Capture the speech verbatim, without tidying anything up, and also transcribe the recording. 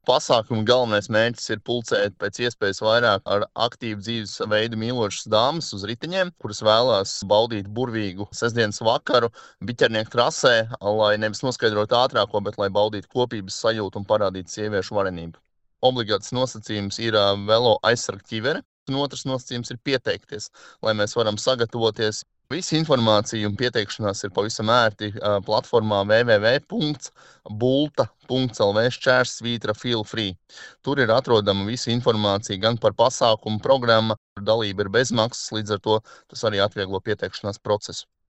Pasākuma galvenais mērķis ir pulcēt pēc iespējas vairāk ar aktīvu dzīves veidu mīlošas dāmas uz riteņiem, kuras vēlās baudīt burvīgu sestdienas vakaru biķernieku trasē, lai nevis noskaidrotu ātrāko, bet lai baudītu kopības sajūtu un parādītu sieviešu varenību. Obligāts nosacījums ir uh, velo aizsarga ķivere, un otrs nosacījums ir pieteikties, lai mēs varam sagatavoties. Visa informācija un pieteikšanās ir pavisam ērti uh, platformā w w w punkts bulta punkts l v šķērsvītra feel free. Tur ir atrodama visa informācija gan par pasākumu programmu, dalība ir bezmaksas, līdz ar to tas arī atvieglo pieteikšanās procesu.